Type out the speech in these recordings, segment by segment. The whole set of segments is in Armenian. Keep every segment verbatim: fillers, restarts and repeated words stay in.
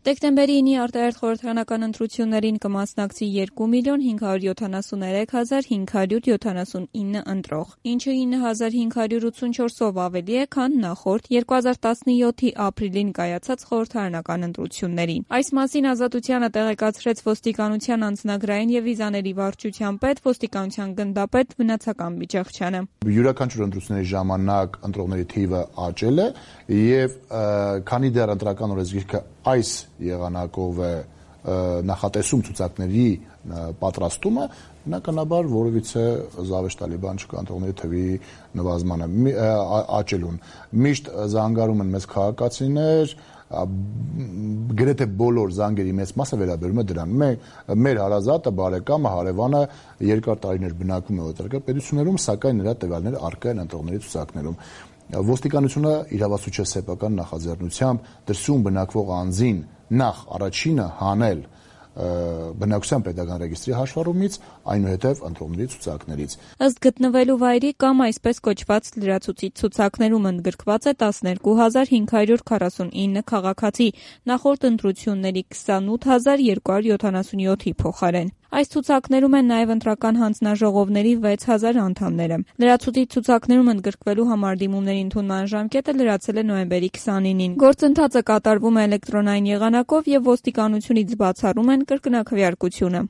Դեկտեմբերի ինի արտահերթ խորհրդարանական ընտրություններին կմասնակցի երկու միլիոն հինգ հարյուր յոթանասուններեք հազար հինգ հարյուր յոթանասունինը ընտրող, ինչը ինը հազար հինգ հարյուր ութսունչորսով ավելի է, քան նախորդ երկու հազար տասնյոթի ապրիլին կայացած խորհրդարանական ընտրություններին։ Այս մասին Ազատությանը տեղեկացրեց ոստիկանության անձնագրային եւ վիզաների վարչության պետ, ոստիկանության գնդապետ Վնացական Բիջախչյանը։ Յուրաքանչյուր ընտրությունների ժամանակ ընտրողների թիվը աճել է եւ քանի դեռ ընտրական օրենսգիրքը այս եղանակով է նախատեսում ցուցակների պատրաստումը, բնականաբար որևիցե զավեշտալի բան չկա ընտրողների թվի նվազմանը աճելուն։ Միշտ զանգարում են մեզ քաղաքացիներ, գրեթե բոլոր զանգերի մեծ մասը վերաբերում է դրան։ Մեր հարազատը, բարեկամը, հարևանը երկար տարիներ բնակվում է օտարերկրյա պետություններում, սակայն նրա տվյալները առկա են ընտրողների ցուցակներում։ Ոստիկանությունը իրավասու չէ սեփական նախաձեռնությամբ դրսում բնակվող անձին նախ առաջինը հանել բնակության պետական ռեգիստրի հաշվառումից, այնուհետև ընտրողների ցուցակներից։ Ըստ գտնվելու վայրի կամ այսպես կոչված լրացուցիչ ցուցակներում ընդգրկված է տասներկու հազար հինգ հարյուր քառասունինը քաղաքացի, նախորդ ընտրությունների քսանութ հազար երկու հարյուր յոթանասունյոթի փոխարեն։ Այս ցուցակներում են նաև ընտրական հանձնաժողովների վեց հազար անդամները։ Լրացուցիչ ցուցակներում ընդգրկվելու համար դիմումների ընդունման ժամկետը լրացել է նոյեմբերի քսանինին։ Գործընթացը կատարվում է էլեկտրոնային եղանակով եւ ոստիկանությունից բացառում են կրկնակվյարկությունը։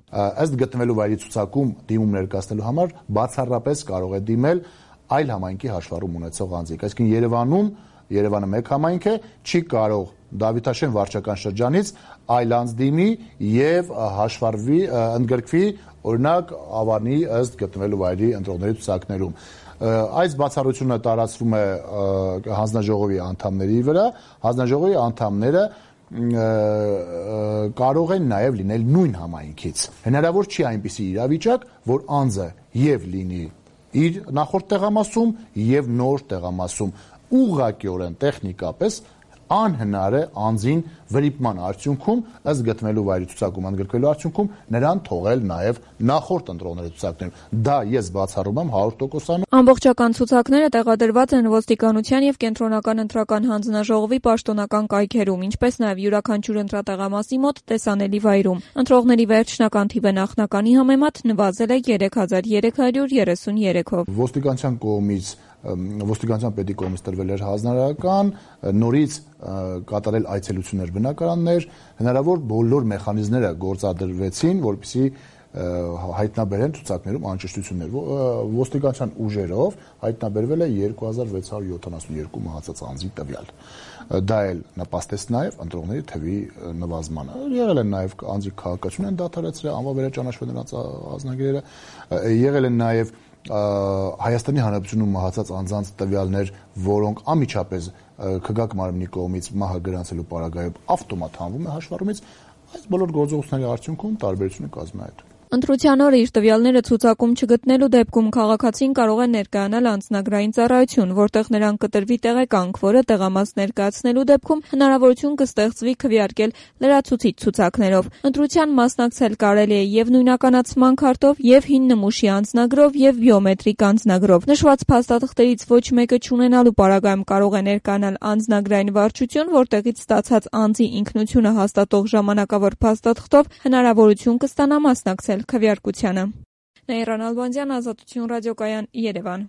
Ըստ գտնվելու վայրի ցուցակում դիմում ներկայացնելու համար բացառապես կարող է դիմել այլ համայնքի հաշվառում ունեցող անձիկ։ Այսինքն Երևանում Երևանը մեկ համայնք է, չի կարող Դավիթաշեն վարչական շրջանից այլ անձ դիմի եւ հաշվառվի, ընդգրկվի օրինակ Ավանի ըստ գտնվելու վայրի ընտրողների ցուցակներում։ Այս բացառությունը տարածվում է հանձնաժողովի անդամների վրա, հանձնաժողովի անդամները կարող են նաև լինել նույն համայնքից։ Հնարավոր չի այնպիսի իրավիճակ, որ անձը եւ լինի իր նախորդ տեղամասում եւ նոր տեղամասում, ուղղակիորեն տեխնիկապես անհնար է անձին վրիպման արդյունքում ըստ գտնվելու վայրի ցուցակում ընդգրկվելու արդյունքում նրան թողել նաև նախորդ ընտրողների ցուցակներում։ Դա ես բացառում եմ հարյուր տոկոսանոց։ Ամբողջական ցուցակները տեղադրված են ոստիկանության եւ կենտրոնական ընտրական հանձնաժողովի պաշտոնական կայքերում, ինչպես նաև յուրաքանչյուր ընտրատեղամասի մոտ տեսանելի վայրում։ Ընտրողների վերջնական թիվը նախնականի համեմատ նվազել է երեք հազար երեք հարյուր երեսունյերեքով։ Ոստիկանության կողմից ոստիկանության պետի կողմից տրվել էր հանձնարարական, նորից կատարել այցելություններ բնակարաններ, հնարավոր բոլոր մեխանիզմները գործադրվեցին, որպեսզի հայտնաբերեն ցուցակներում անճշտություններ։ Ոստիկանության ուժերով հայտնաբերվել է երկու հազար վեց հարյուր յոթանասունյոթ մահացած անձի տվյալ։ Դա էլ նպաստեց նաև ընտրողների թվի նվազմանը։ Եղել են նաև անձի քաղաքացիություն են դադարեցրել, անվավերաճանաչվել նրանց ազնագիրերը, եղել են նաև Հայաստանի Հանրապետությունում մահացած անձանց տվյալներ, որոնք անմիջապես քգակ մարմնի կողմից մահը գրանցելու պարագայում ավտոմատ հանվում է հաշվառումից, այս բոլոր գործողությունների արդյունքում տարբերությունը կազմում է այդ։ Ընտրության օրը իր տվյալները ցուցակում չգտնելու դեպքում քաղաքացին կարող է ներկայանալ անձնագրային ծառայություն, որտեղ նրան կտրվի տեղեկանք, որը տեղամաս ներկայացնելու դեպքում հնարավորություն կստեղծվի քվեարկել լրացուցիչ ցուցակներով։ Ընտրության մասնակցել կարելի է եւ նույնականացման քարտով, եւ հին նմուշի անձնագրով, եւ բիոմետրիկ անձնագրով։ Նշված փաստաթղթերից ոչ մեկը չունենալու պարագայում կարող է ներկայանալ անձնագրային վարչություն, որտեղից ստացած անձի ինքնությունը հաստատող ժամանակավոր փաստաթղթով հնարավորություն կստանա մասնակցել քվեարկությանը։ Նաիրա Նալբանդյան, Ազատություն ռադիոկայան, Երևան։